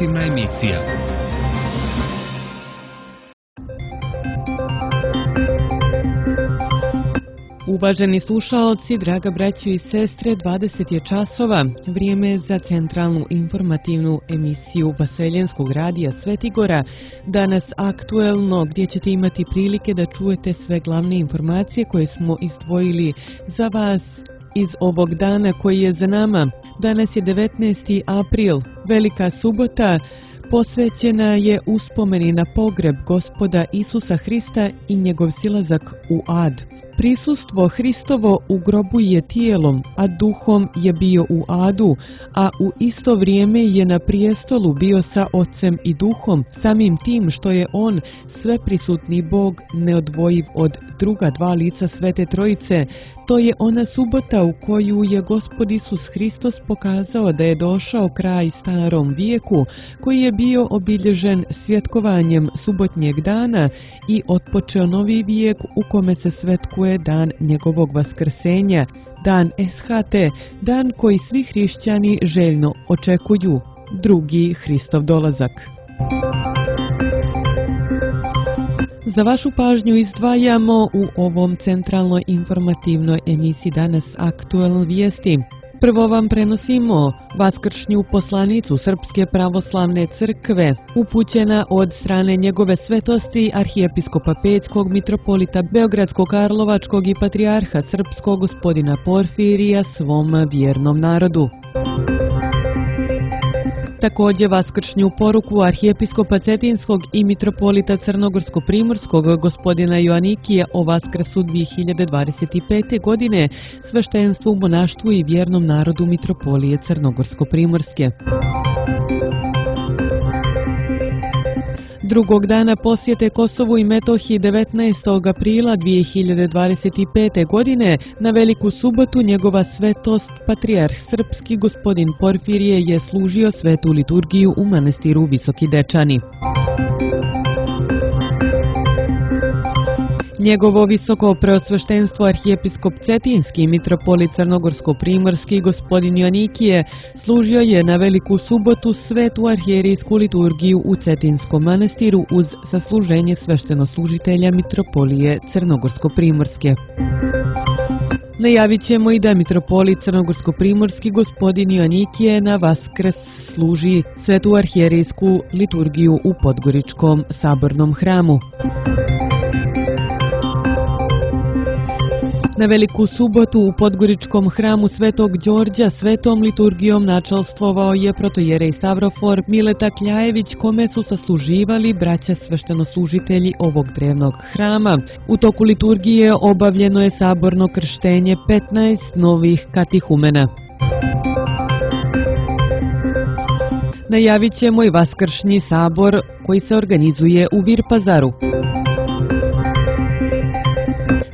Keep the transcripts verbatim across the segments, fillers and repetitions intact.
informativna emisija. Uvaženi slušaoci, draga braćo i sestre, dvadeset je časova, vrijeme za centralnu informativnu emisiju Vaseljenskog radija Svetigora, danas aktuelno, gdje ćete imati prilike da čujete sve glavne informacije koje smo izdvojili za vas iz ovog dana koji je za nama. Danas je devetnaesti april, velika subota, posvećena je uspomeni na pogreb Gospoda Isusa Hrista i njegov silazak u ad. Prisustvo Hristovo u grobu je tijelom, a duhom je bio u adu, a u isto vrijeme je na prijestolu bio sa Otcem i Duhom, samim tim što je on sveprisutni Bog neodvojiv od druga dva lica Svete Trojice. To je ona subota u koju je Gospod Isus Hristos pokazao da je došao kraj starom vijeku, koji je bio obilježen svjetkovanjem subotnjeg dana i otpočeo novi vijek u kome se svetkuje dan njegovog vaskrsenja, dan Eshate, dan koji svi hrišćani željno očekuju, drugi Hristov dolazak. Za vašu pažnju izdvajamo u ovom centralnoj informativnoj emisiji danas aktuelne vijesti. Prvo vam prenosimo vaskršnju poslanicu Srpske pravoslavne crkve, upućena od strane njegove svetosti arhijepiskopa Pećkog, mitropolita Beogradskog, Karlovačkog i patrijarha srpskog gospodina Porfirija svom vjernom narodu. Također vaskršnju poruku arhijepiskopa Cetinskog i mitropolita Crnogorsko-Primorskog gospodina Joanikija o Vaskrsu dvije hiljade dvadeset pete. godine sveštenstvu, monaštvu i vjernom narodu mitropolije Crnogorsko-Primorske. Drugog dana posjete Kosovu i Metohiji devetnaestog aprila dvije hiljade dvadeset pete. godine na veliku subotu njegova svetost patrijarh srpski gospodin Porfirije je služio svetu liturgiju u manastiru Visoki Dečani. Njegovo visoko preosveštenstvo arhijepiskop Cetinski mitropolit Crnogorsko-Primorski gospodin Joanikije služio je na veliku subotu svetu arhijerijsku liturgiju u Cetinskom manastiru uz sasluženje sveštenoslužitelja mitropolije Crnogorsko-Primorske. Najavit ćemo i da mitropolit Crnogorsko-Primorski gospodin Joanikije na Vaskrs služi svetu arhijerijsku liturgiju u Podgoričkom sabornom hramu. Na veliku subotu u Podgoričkom hramu Svetog Đorđa svetom liturgijom načalstvovao je protojerej Stavrofor Mileta Kljajević, kome su sasluživali braća sveštenoslužitelji ovog drevnog hrama. U toku liturgije obavljeno je saborno krštenje petnaest novih katihumena. Najavit ćemo i vaskršnji sabor koji se organizuje u Virpazaru.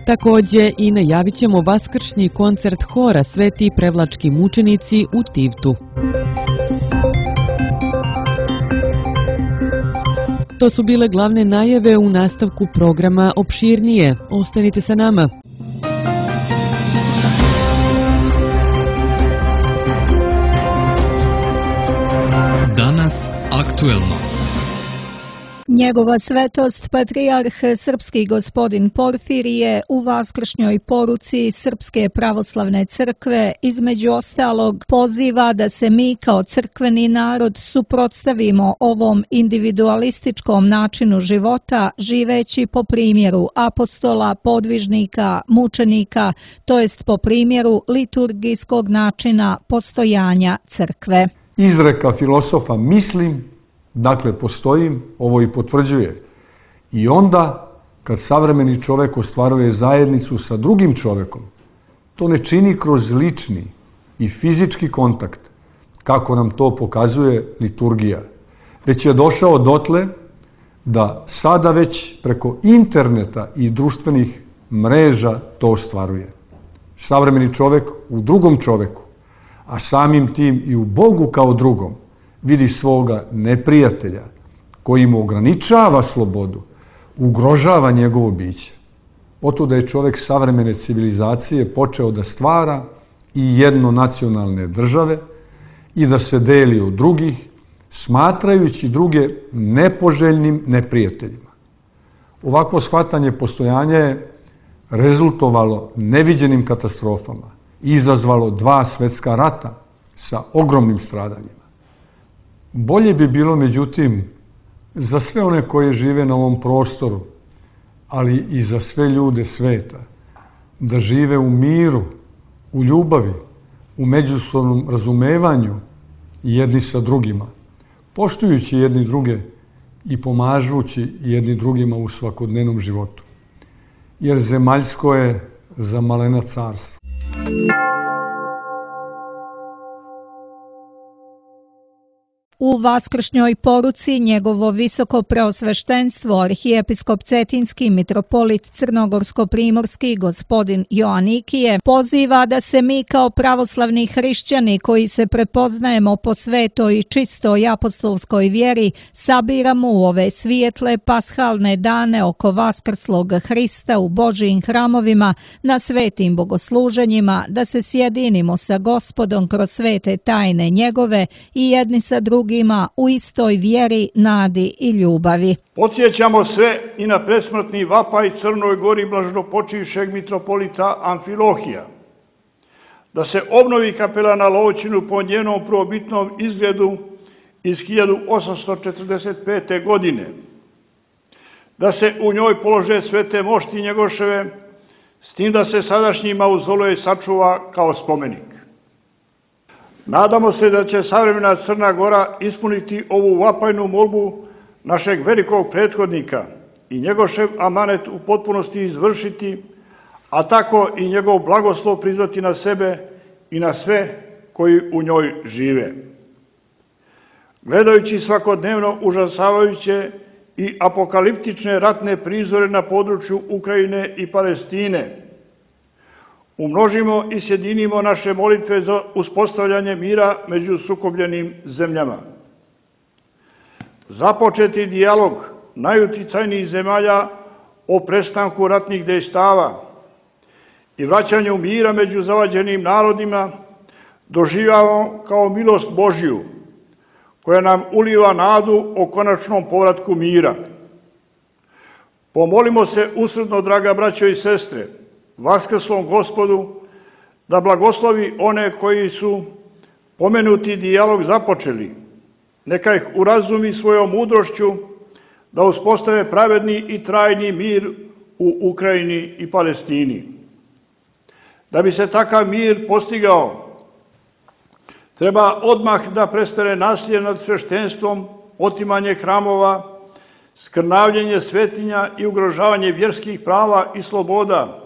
Također i najavit ćemo vaskršnji koncert hora Sveti prevlački mučenici u Tivtu. To su bile glavne najave, u nastavku programa opširnije. Ostanite sa nama. Danas aktuelno. Njegova svetost patrijarh srpski gospodin Porfirije u vaskršnjoj poruci Srpske pravoslavne crkve između ostalog poziva da se mi kao crkveni narod suprotstavimo ovom individualističkom načinu života živeći po primjeru apostola, podvižnika, mučenika, to jest po primjeru liturgijskog načina postojanja crkve. Izreka filosofa mislim, dakle postojim, ovo i potvrđuje. I onda, kad savremeni čovjek ostvaruje zajednicu sa drugim čovjekom, to ne čini kroz lični i fizički kontakt, kako nam to pokazuje liturgija, već je došao dotle da sada već preko interneta i društvenih mreža to ostvaruje. Savremeni čovjek u drugom čovjeku, a samim tim i u Bogu kao drugom, vidi svoga neprijatelja koji mu ograničava slobodu, ugrožava njegovo biće. Oto da je čovjek savremene civilizacije počeo da stvara i jednonacionalne države i da se deli od drugih smatrajući druge nepoželjnim neprijateljima. Ovakvo shvatanje postojanja je rezultovalo neviđenim katastrofama i izazvalo dva svetska rata sa ogromnim stradanjima. Bolje bi bilo, međutim, za sve one koje žive na ovom prostoru, ali i za sve ljude sveta, da žive u miru, u ljubavi, u međusobnom razumevanju jedni sa drugima, poštujući jedni druge i pomažući jedni drugima u svakodnevnom životu. Jer zemaljsko je za malena carstvo. U vaskršnjoj poruci njegovo visoko preosveštenstvo arhijepiskop Cetinski mitropolit Crnogorsko-primorski gospodin Joanikije poziva da se mi kao pravoslavni hrišćani koji se prepoznajemo po svetoj i čistoj apostolskoj vjeri sabiramo u ove svijetle pashalne dane oko vaskrslog Hrista u Božijim hramovima na svetim bogosluženjima, da se sjedinimo sa Gospodom kroz svete tajne njegove i jedni sa drugima u istoj vjeri, nadi i ljubavi. Podsjećamo sve i na presmrtni vapaj Crnoj Gori blaženopočivšeg mitropolita Amfilohija, da se obnovi kapela na Lovćinu po njenom prvobitnom izgledu iz hiljadu osamsto četrdeset pete. godine, da se u njoj polože svete mošti Njegoševe, s tim da se sadašnji mauzolej sačuva kao spomenik. Nadamo se da će savremena Crna Gora ispuniti ovu vapajnu molbu našeg velikog prethodnika i Njegošev amanet u potpunosti izvršiti, a tako i njegov blagoslov prizvati na sebe i na sve koji u njoj žive. Gledajući svakodnevno užasavajuće i apokaliptične ratne prizore na području Ukrajine i Palestine, umnožimo i sjedinimo naše molitve za uspostavljanje mira među sukobljenim zemljama. Započeti dijalog najuticajnijih zemalja o prestanku ratnih dejstava i vraćanju mira među zavađenim narodima doživljavamo kao milost Božju, koja nam uliva nadu o konačnom povratku mira. Pomolimo se usrdno, draga braćo i sestre, vaskrslom Gospodu, da blagoslovi one koji su pomenuti dijalog započeli, neka ih urazumi svojom mudrošću da uspostave pravedni i trajni mir u Ukrajini i Palestini. Da bi se takav mir postigao, treba odmah da prestane nasilje nad sveštenstvom, otimanje hramova, skrnavljenje svetinja i ugrožavanje vjerskih prava i sloboda,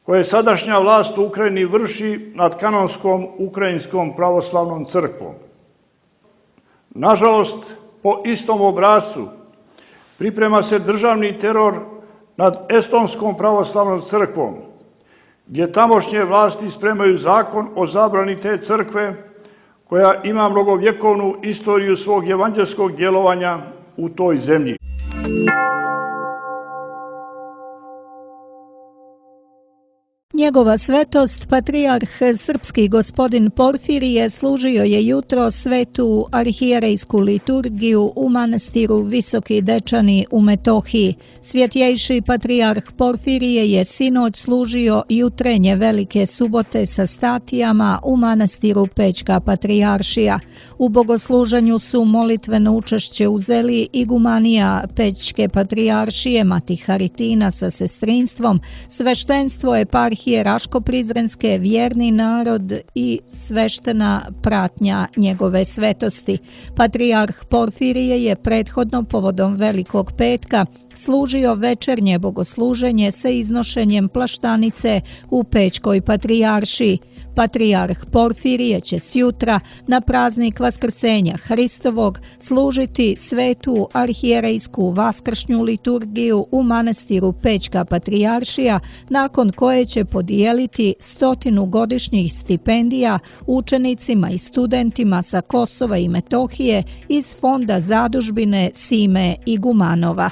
koje sadašnja vlast u Ukrajini vrši nad kanonskom Ukrajinskom pravoslavnom crkvom. Nažalost, po istom obrascu priprema se državni teror nad Estonskom pravoslavnom crkvom, gdje tamošnje vlasti spremaju zakon o zabrani te crkve, koja ima mnogovjekovnu istoriju svog evanđelskog djelovanja u toj zemlji. Njegova svetost, patrijarh srpski gospodin Porfirije, služio je jutro svetu arhijerejsku liturgiju u manastiru Visoki Dečani u Metohiji. Svjetjejši patrijarh Porfirije je sinoć služio jutrenje Velike subote sa statijama u manastiru Pećka patrijaršija. U bogosluženju su molitveno učešće uzeli igumanija Pećke patrijaršije Mati Haritina sa sestrinstvom, sveštenstvo eparhije Raško-Prizrenske, vjerni narod i sveštena pratnja njegove svetosti. Patrijarh Porfirije je prethodno povodom Velikog petka služio večernje bogosluženje sa iznošenjem plaštanice u Pećkoj patrijaršiji. Patrijarh Porfirije će sjutra na praznik Vaskrsenja Hristovog služiti svetu arhijerejsku vaskršnju liturgiju u manastiru Pećka patrijaršija, nakon koje će podijeliti stotinu godišnjih stipendija učenicima i studentima sa Kosova i Metohije iz fonda zadužbine Sime Igumanova.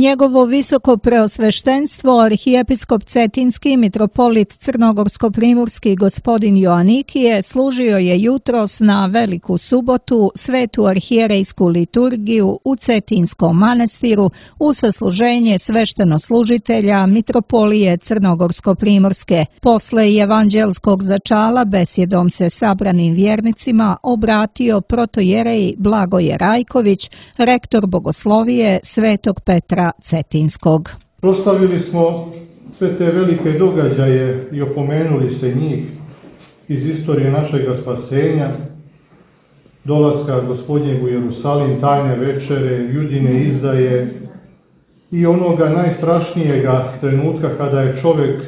Njegovo visoko preosveštenstvo arhijepiskop Cetinski mitropolit Crnogorsko-primorski gospodin Joanikije služio je jutros na Veliku subotu svetu arhijerejsku liturgiju u Cetinskom manastiru u sasluženje sveštenoslужitelja mitropolije Crnogorsko-primorske. Posle evanđelskog začala besjedom se sabranim vjernicima obratio protojerej Blagoje Rajković, rektor bogoslovije Svetog Petra Cetinskog. Proslavili smo sve te velike događaje i opomenuli se njih iz istorije našega spasenja, dolaska Gospodnjeg u Jerusalim, tajne večere, Judine izdaje i onoga najstrašnijega trenutka kada je čovjek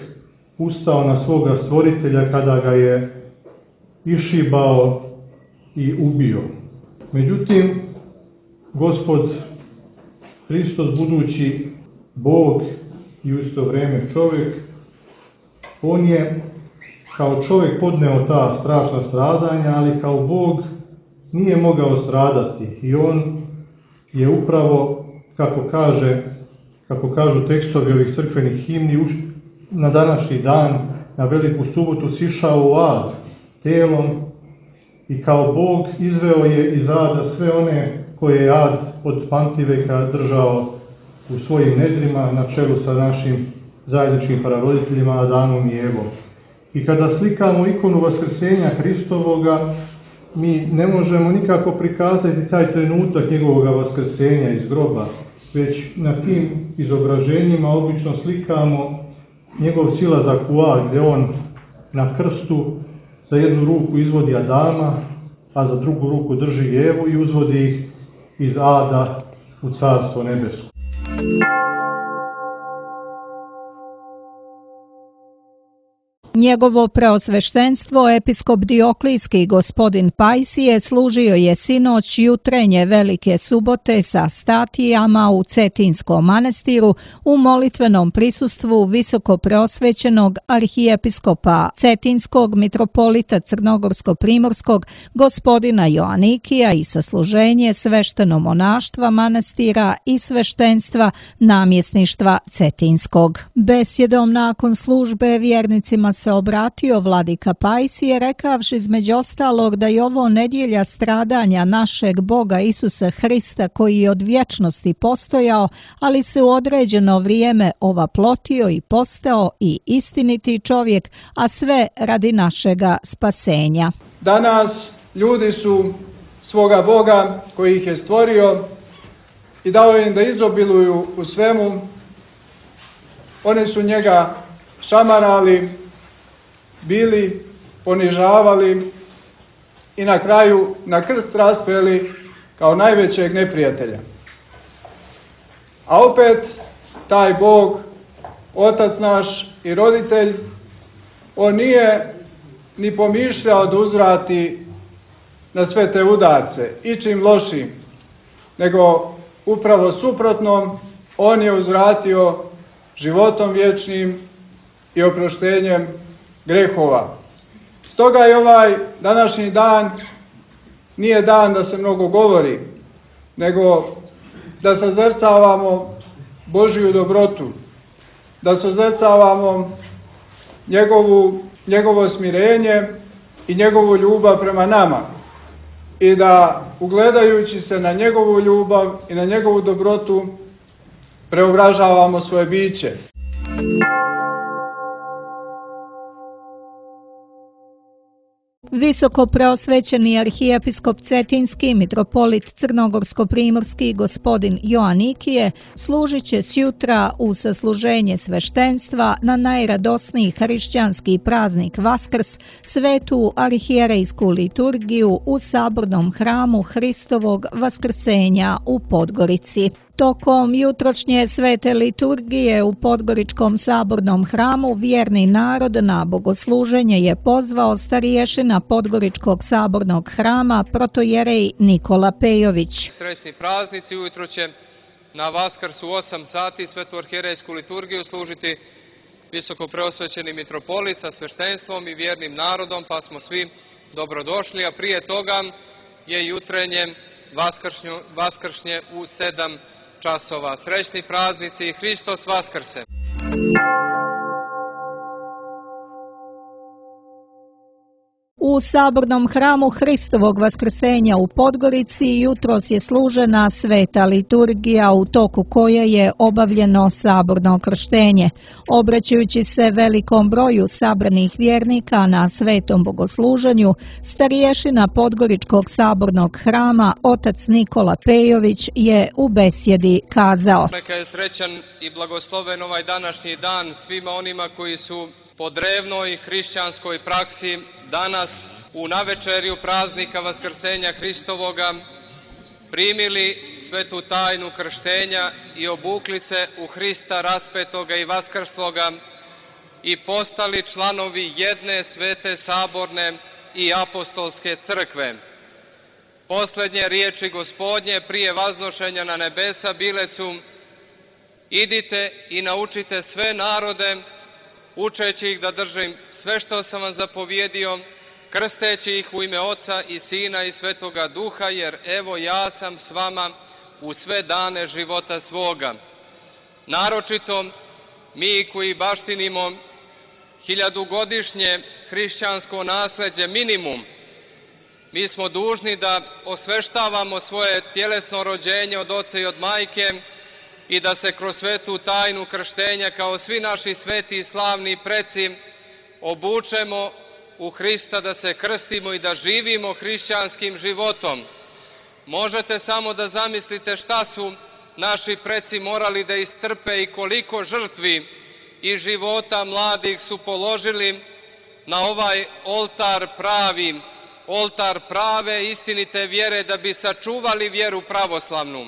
ustao na svoga stvoritelja, kada ga je išibao i ubio. Međutim, Gospod Hristos, budući Bog i u isto vrijeme čovjek, on je kao čovjek podneo ta strašna stradanja, ali kao Bog nije mogao stradati. I on je upravo, kako kaže, kako kažu tekstovi ovih crkvenih himni, na današnji dan, na Veliku subotu, sišao u ad telom i kao Bog izveo je iz ada sve one koje je ad od pamtiveka držao u svojim nedrima na čelu sa našim zajedničkim praroditeljima Adamom i Evom. I kada slikamo ikonu Vaskrsenja Hristovoga, mi ne možemo nikako prikazati taj trenutak njegovog vaskrsenja iz groba, već na tim izobraženjima obično slikamo njegov silazak u ad, gdje on na krstu za jednu ruku izvodi Adama, a za drugu ruku drži Evu i uzvodi ih iz ada u Carstvo nebesko. Njegovo preosveštenstvo episkop Dioklijski gospodin Pajsije služio je sinoć jutrenje Velike subote sa statijama u Cetinskom manastiru u molitvenom prisustvu visoko preosvećenog arhijepiskopa Cetinskog mitropolita Crnogorsko-primorskog gospodina Joanikija i sasluženje svešteno-monaštva manastira i sveštenstva namjesništva Cetinskog. Besjedom nakon službe vjernicima se obratio vladika Pajsije, rekavši između ostalog da je ovo nedjelja stradanja našeg Boga Isusa Hrista, koji je od vječnosti postojao, ali se u određeno vrijeme ovaplotio i postao i istiniti čovjek, a sve radi našega spasenja. Danas ljudi su svoga Boga koji ih je stvorio i dao im da izobiluju u svemu, oni su njega šamarali, bili, ponižavali i na kraju na krst raspeli kao najvećeg neprijatelja. A opet taj Bog, Otac naš i roditelj, on nije ni pomišljao da uzvrati na sve te udarce ičim lošim, nego upravo suprotno, on je uzvratio životom vječnim i oproštenjem grehova. Stoga je ovaj današnji dan nije dan da se mnogo govori, nego da sazrcavamo Božju dobrotu, da sazrcavamo njegovu, njegovo smirenje i njegovu ljubav prema nama i da, ugledajući se na njegovu ljubav i na njegovu dobrotu, preobražavamo svoje biće. Visoko preosvećeni arhijepiskop Cetinski mitropolit Crnogorsko-primorski gospodin Joanikije služit će sjutra u sasluženje sveštenstva na najradosniji hrišćanski praznik Vaskrs, svetu arhijerejsku liturgiju u sabornom hramu Hristovog vaskrsenja u Podgorici. Tokom jutrošnje svete liturgije u Podgoričkom sabornom hramu vjerni narod na bogosluženje je pozvao stariješina Podgoričkog sabornog hrama protojerej Nikola Pejović. Srećni praznici, ujutro će na Vaskrs u osam sati svetu arhijerejsku liturgiju služiti visoko preosvećeni mitropolit sa sveštenstvom i vjernim narodom, pa smo svi dobrodošli, a prije toga je jutrenje vaskršnje u sedam časova. Srećni praznici i Hristos Vaskrse! U sabornom hramu Hristovog Vaskrsenja u Podgorici jutros je služena sveta liturgija u toku koje je obavljeno saborno krštenje. Obraćajući se velikom broju sabranih vjernika na svetom bogosluženju, starješina Podgoričkog sabornog hrama, otac Nikola Pejović, je u besjedi kazao: Neka je srećan i blagosloven ovaj današnji dan svima onima koji su po drevnoj hrišćanskoj praksi danas u navečerju praznika Vaskrsenja Hristovoga primili svetu tajnu krštenja i obukli se u Hrista raspetoga i vaskrsloga i postali članovi jedne svete saborne i apostolske crkve. Posljednje riječi Gospodnje prije vaznošenja na nebesa bile su: idite i naučite sve narode, učeći ih da držim sve što sam vam zapovjedio, krsteći ih u ime Oca i Sina i Svetoga Duha, jer evo ja sam s vama u sve dane života svoga. Naročito mi koji baštinimo hiljadugodišnje hrišćansko nasljeđe minimum, mi smo dužni da osveštavamo svoje tjelesno rođenje od oca i od majke i da se kroz svetu tajnu krštenja, kao svi naši sveti i slavni preci, obučemo u Hrista, da se krstimo i da živimo hrišćanskim životom. Možete samo da zamislite šta su naši preci morali da istrpe i koliko žrtvi i života mladih su položili na ovaj oltar pravi, oltar prave istinite vjere, da bi sačuvali vjeru pravoslavnu.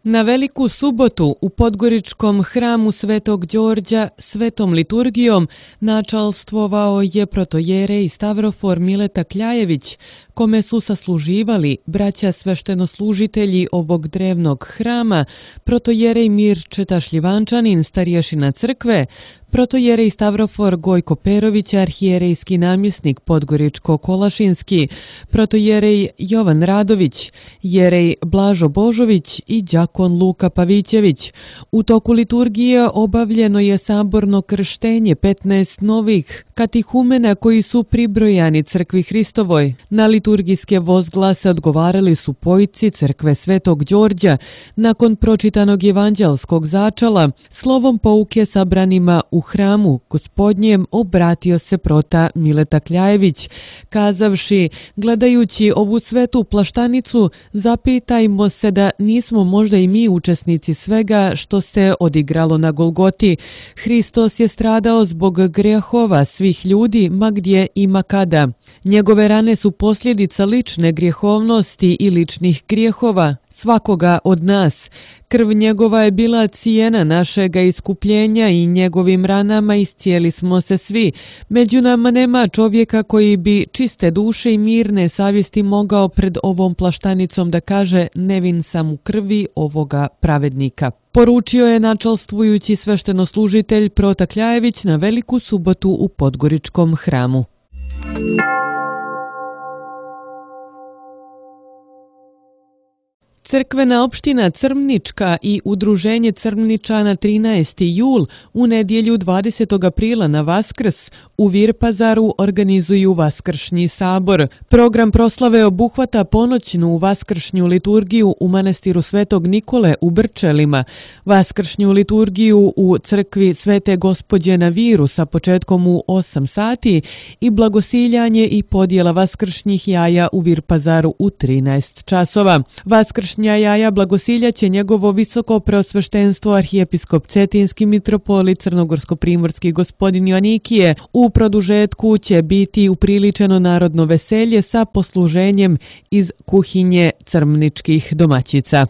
Na Veliku subotu u Podgoričkom hramu Svetog Đorđa svetom liturgijom načalstvovao je protojerej Stavrofor Mileta Kljajević, kome su sasluživali braća sveštenoslužitelji ovog drevnog hrama, protojerej Mirčeta Šljivančanin, starješina crkve, protojerej Stavrofor Gojko Perović, arhijerejski namjesnik Podgoričko-Kolašinski, protojerej Jovan Radović, jerej Blažo Božović i đakon Luka Pavićević. U toku liturgije obavljeno je saborno krštenje petnaest novih katihumena koji su pribrojani crkvi Hristovoj. Na liturgijske vozglase odgovarali su pojci crkve Svetog Đorđa. Nakon pročitanog evanđelskog začala, slovom pouke sabranima u hramu Gospodnjem obratio se prota Mileta Kljajević, kazavši: gledajući ovu svetu plaštanicu, zapitajmo se da nismo možda i mi učesnici svega što se odigralo na Golgoti. Hristos je stradao zbog grehova svih ljudi, ma gdje i ma kada. Njegove rane su posljedica lične grijehovnosti i ličnih grijehova svakoga od nas. Krv njegova je bila cijena našega iskupljenja i njegovim ranama iscijeli smo se svi. Među nama nema čovjeka koji bi čiste duše i mirne savjesti mogao pred ovom plaštanicom da kaže: nevin sam u krvi ovoga pravednika. Poručio je načalstvujući sveštenoslužitelj prota Kljajević na Veliku subotu u Podgoričkom hramu. Crkvena opština Crmnička i Udruženje Crmničana trinaesti jul u nedjelju dvadesetog aprila na Vaskrs u Virpazaru organizuju Vaskršnji sabor. Program proslave obuhvata ponoćnu vaskršnju liturgiju u manastiru Svetog Nikole u Brčelima, vaskršnju liturgiju u crkvi Svete Gospođe na Viru sa početkom u osam sati i blagosiljanje i podjela vaskršnjih jaja u Virpazaru u trinaest časova. Vaskršnja jaja blagosiljaće njegovo visoko preosveštenstvo arhijepiskop Cetinski mitropolit Crnogorsko-primorski gospodin Joanikije. U produžetku će biti upriličeno narodno veselje sa posluženjem iz kuhinje crmničkih domaćica.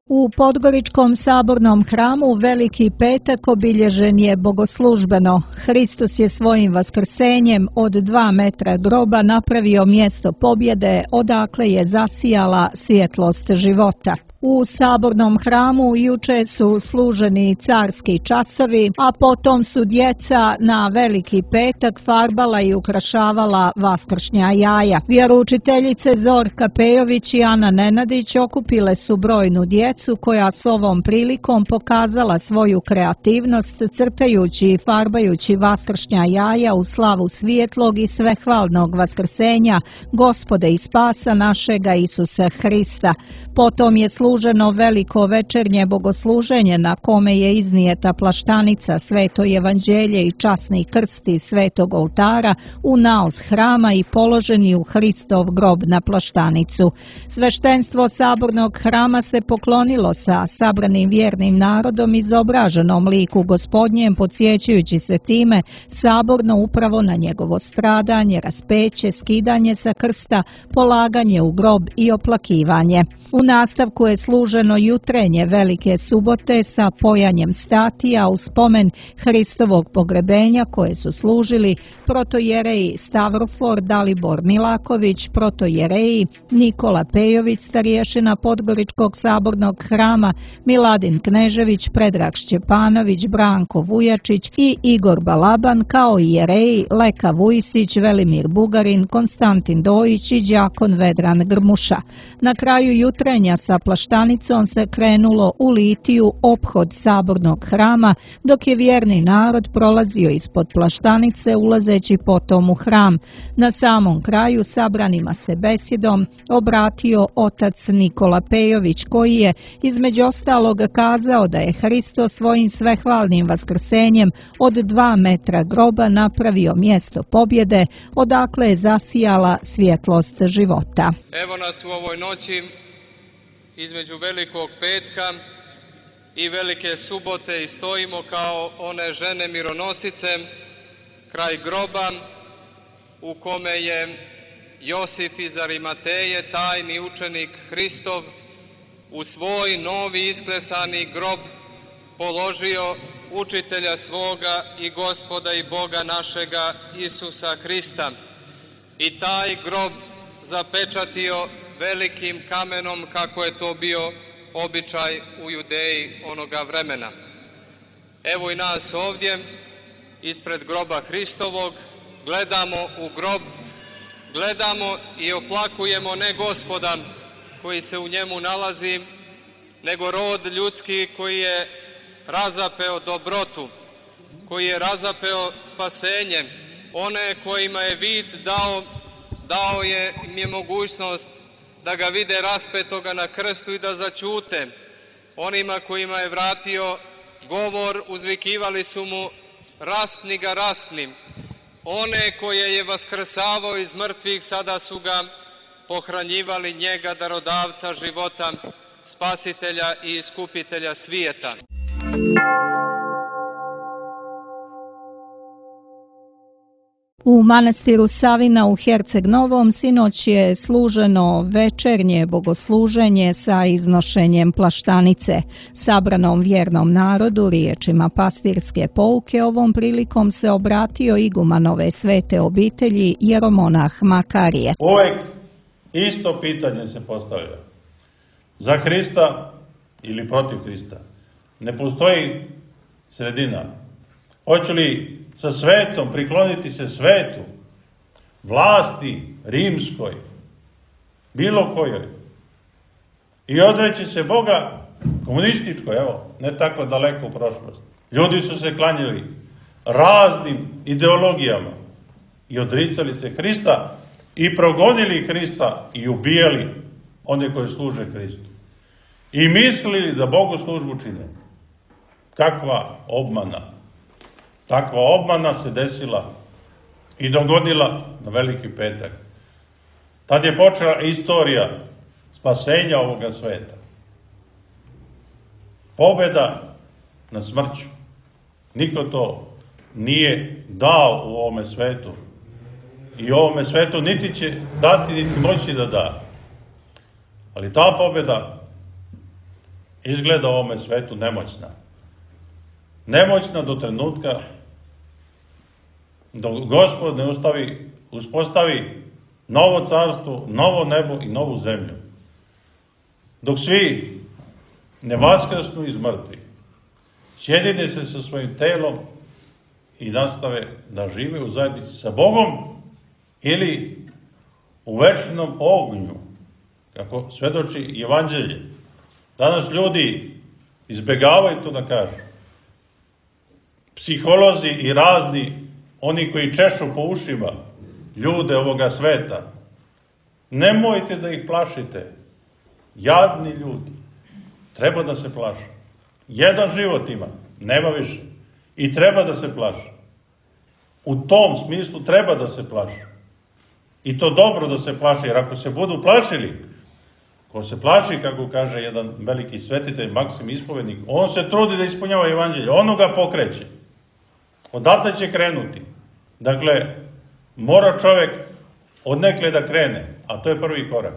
U Podgoričkom sabornom hramu Veliki petak obilježen je bogoslužbeno. Hristos je svojim vaskrsenjem od dva metra groba napravio mjesto pobjede, odakle je zasijala svjetlost života. U sabornom hramu juče su služeni carski časovi, a potom su djeca na Veliki petak farbala i ukrašavala vaskršnja jaja. Vjeroučiteljice Zorka Pejović i Ana Nenadić okupile su brojnu djecu koja s ovom prilikom pokazala svoju kreativnost crtajući i farbajući vaskršnja jaja u slavu svijetlog i svehvalnog vaskrsenja Gospoda i spasa našega Isusa Hrista. Potom je služeno veliko večernje bogosluženje na kome je iznijeta plaštanica, sveto evanđelje i časni krsti svetog oltara u naos hrama i položeni u Hristov grob na plaštanicu. Sveštenstvo sabornog hrama se poklonilo sa sabranim vjernim narodom izobraženom liku Gospodnjem, podsjećajući se time saborno upravo na njegovo stradanje, raspeće, skidanje sa krsta, polaganje u grob i oplakivanje. U nastavku je služeno jutrenje Velike subote sa pojanjem statija u spomen Hristovog pogrebenja koje su služili protojereji Stavrofor Dalibor Milaković, protojereji Nikola Pejović, starješina Podgoričkog sabornog hrama, Miladin Knežević, Predrag Šćepanović, Branko Vujačić i Igor Balaban, kao i jereji Leka Vujsić, Velimir Bugarin, Konstantin Dojić i đakon Vedran Grmuša. Na kraju jutrenja sa plaštanicom se krenulo u litiju ophod sabornog hrama, dok je vjerni narod prolazio ispod plaštanice ulazeći potom u hram. Na samom kraju sabranima se besjedom obratio otac Nikola Pejović, koji je između ostalog kazao da je Hristo svojim svehvalnim vaskrsenjem od dva metra groba napravio mjesto pobjede, odakle je zasijala svjetlost života. Evo nas u ovoj noći između Velikog petka i Velike subote i stojimo kao one žene mironosice kraj groba u kome je Josif iz Arimateje, tajni učenik Hristov, u svoj novi isklesani grob položio učitelja svoga i Gospoda i Boga našega Isusa Hrista i taj grob zapečatio velikim kamenom kako je to bio običaj u Judeji onoga vremena. Evo i nas ovdje ispred groba Hristovog gledamo u grob, gledamo i oplakujemo ne Gospoda koji se u njemu nalazi, nego rod ljudski koji je razapeo dobrotu, koji je razapeo spasenje, one kojima je vid dao, dao je im je mogućnost da ga vide raspetoga na krstu i da začute. Onima kojima je vratio govor, uzvikivali su mu rasni ga rasnim. One koje je vaskrsavao iz mrtvih, sada su ga pohranjivali njega, darodavca života, spasitelja i iskupitelja svijeta. U manastiru Savina u Herceg Novom sinoć je služeno večernje bogosluženje sa iznošenjem plaštanice. Sabranom vjernom narodu riječima pastirske pouke ovom prilikom se obratio iguman ove svete obitelji jeromonah Makarije. Uvijek isto pitanje se postavlja. Za Hrista ili protiv Hrista ne postoji sredina. Hoću li sa svetom prikloniti se svetu, vlasti rimskoj, bilo kojoj, i odreći se Boga komunističkoj, evo, ne tako daleko u prošlosti. Ljudi su se klanjali raznim ideologijama i odricali se Hrista i progonili Hrista i ubijali one koji služe Hristu. I mislili da Bogu službu čine. Kakva obmana! Takva obmana se desila i dogodila na Veliki petak. Tad je počela istorija spasenja ovoga sveta. Pobjeda na smrću. Niko to nije dao u ovome svetu. I u ovome svetu niti će dati, niti moći da da. Ali ta pobjeda izgleda u ovome svetu nemoćna. Nemoćna do trenutka dok Gospod ne ustavi, uspostavi novo carstvo, novo nebo i novu zemlju. Dok svi ne vaskrsnu iz mrtvih, sjedine se sa svojim telom i nastave da žive u zajednici sa Bogom ili u večnom ognju, kako svedoči Evanđelje. Danas ljudi izbegavaju to da kažu. Psiholozi i razni, oni koji češu po ušima ljude ovoga sveta, nemojte da ih plašite. Jadni ljudi, treba da se plaše. Jedan život ima, nema više. I treba da se plaše. U tom smislu treba da se plaše. I to dobro da se plaše, jer ako se budu plašili, ko se plaši, kako kaže jedan veliki svetitelj, Maksim Ispovednik, on se trudi da ispunjava Evanđelje, ono ga pokreće. Odatle će krenuti. Dakle, mora čovjek odnekle da krene, a to je prvi korak.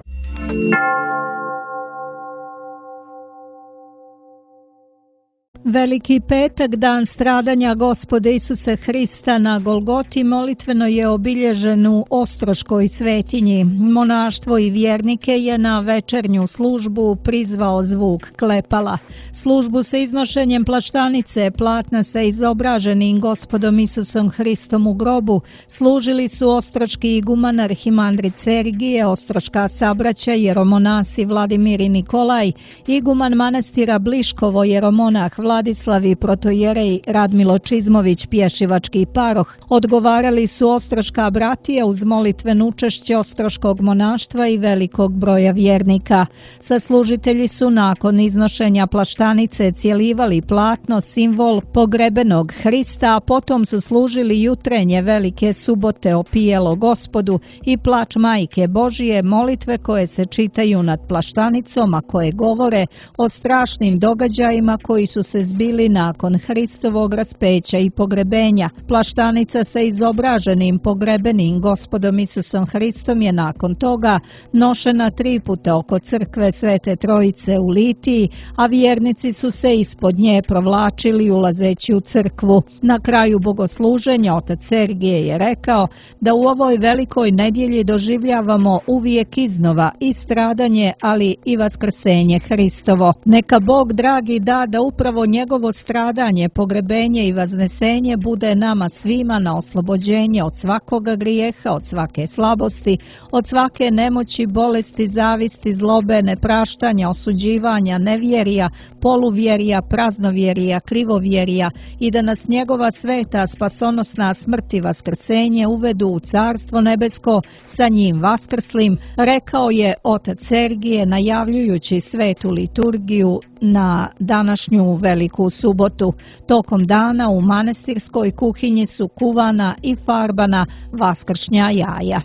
Veliki petak, dan stradanja Gospoda Isusa Hrista na Golgoti, molitveno je obilježen u Ostroškoj svetinji. Monaštvo i vjernike je na večernju službu prizvao zvuk klepala. Službu sa iznošenjem plaštanice platna sa izobraženim Gospodom Isusom Hristom u grobu služili su ostroški iguman arhimandrit Sergije, ostroška sabraća jeromonasi Vladimir i Nikolaj, iguman manastira Bliškovo jeromonah Vladislav i protojerej Radmilo Čizmović, pješivački paroh. Odgovarali su ostroška bratija uz molitveno učešće ostroškog monaštva i velikog broja vjernika. Saslužitelji su nakon iznošenja plaštanice cijelivali platno, simbol pogrebenog Hrista, a potom su služili jutrenje velike subote opijelo Gospodu i plač Majke Božije, molitve koje se čitaju nad plaštanicom, a koje govore o strašnim događajima koji su se zbili nakon Hristovog raspeća i pogrebenja. Plaštanica sa izobraženim pogrebenim Gospodom Isusom Hristom je nakon toga nošena tri puta oko crkve Svete Trojice u Litiji, a vjernici su se ispod nje provlačili ulazeći u crkvu. Na kraju bogosluženja otac Sergije je rekao da u ovoj velikoj nedjelji doživljavamo uvijek iznova i stradanje, ali i vaskrsenje Hristovo. Neka Bog dragi da da upravo njegovo stradanje, pogrebenje i vaznesenje bude nama svima na oslobođenje od svakoga grijeha, od svake slabosti, od svake nemoći, bolesti, zavisti, zlobe, nepraštanja, osuđivanja, nevjerija, poluvjerija, praznovjerija, krivovjerija i da nas njegova sveta spasonosna smrt i vaskrsenje uvedu u carstvo nebesko sa njim vaskrslim, rekao je otac Sergije najavljujući svetu liturgiju na današnju veliku subotu. Tokom dana u manastirskoj kuhinji su kuvana i farbana vaskršnja jaja.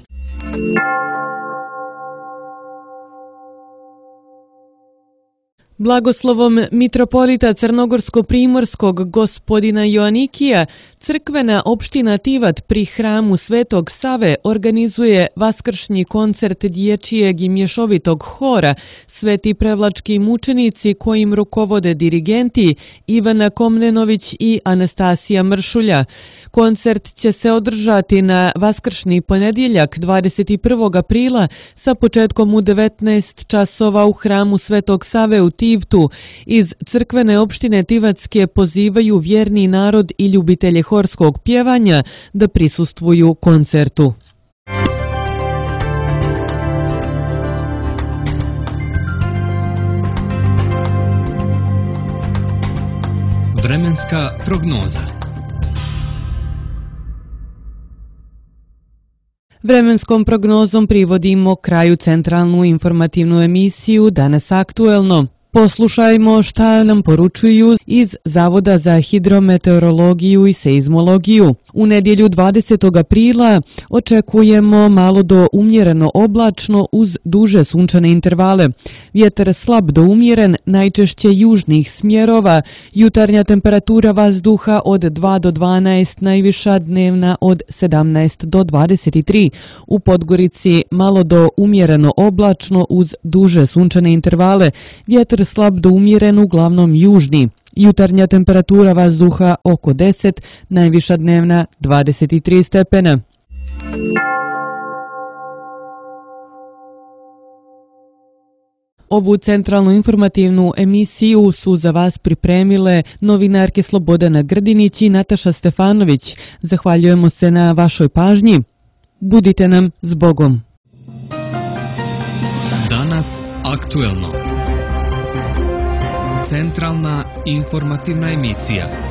Blagoslovom mitropolita Crnogorsko-primorskog gospodina Joanikija, crkvena opština Tivat pri hramu Svetog Save organizuje vaskršnji koncert dječjeg i mješovitog hora Sveti prevlački mučenici kojim rukovode dirigenti Ivana Komnenović i Anastasija Mršulja. Koncert će se održati na vaskršnji ponedjeljak dvadeset prvog aprila sa početkom u devetnaest časova u hramu Svetog Save u Tivtu. Iz crkvene opštine Tivatske pozivaju vjerni narod i ljubitelje horskog pjevanja da prisustvuju koncertu. Vremenska prognoza. Vremenskom prognozom privodimo kraju centralnu informativnu emisiju Danas aktuelno. Poslušajmo šta nam poručuju iz Zavoda za hidrometeorologiju i seizmologiju. U nedjelju dvadesetog aprila očekujemo malo do umjereno oblačno uz duže sunčane intervale. Vjetar slab do umjeren, najčešće južnih smjerova, jutarnja temperatura vazduha od dva do dvanaest, najviša dnevna od sedamnaest do dvadeset tri. U Podgorici malo do umjereno oblačno uz duže sunčane intervale, vjetar slab do umjeren, uglavnom južni. Jutarnja temperatura vazduha oko deset, najviša dnevna dvadeset tri stepena. Ovu centralnu informativnu emisiju su za vas pripremile novinarke Slobodana Grdinić i Nataša Stefanović. Zahvaljujemo se na vašoj pažnji. Budite nam s Bogom. Danas aktuelno. Centralna informativna emisija.